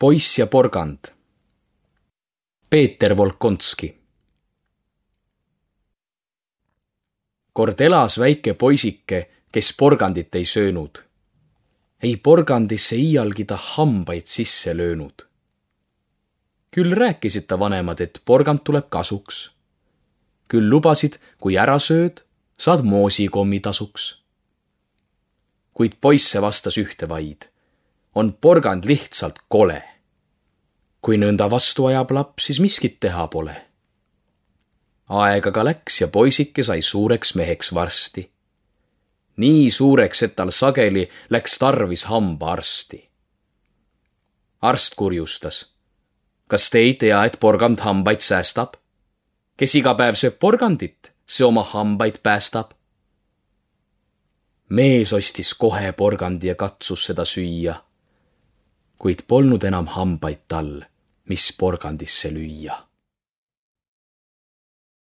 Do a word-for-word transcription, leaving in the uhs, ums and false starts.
Poiss ja porgand. Peeter Volkonski. Kord elas väike poisike, kes porgandit ei söönud. Ei porgandisse iialgi ta hambaid sisse löönud. Küll rääkisid ta vanemad, et porgand tuleb kasuks. Küll lubasid, kui ära sööd, saad moosikommi tasuks. Kuid poisse vastas ühte vaid. On porgand lihtsalt kole. Kui nõnda vastu ajab laps, siis miskit teha pole. Aeg aga läks ja poisike sai suureks meheks varsti. Nii suureks, et tal sageli läks tarvis hambaarsti. Arst kurjustas. Kas te ei tea, et porgand hambaid säästab? Kes iga päev sööb porgandit, see oma hambaid päästab. Mees ostis kohe porgandi ja katsus seda süüa, kuid polnud enam hambaid tal, mis porgandisse lüüa.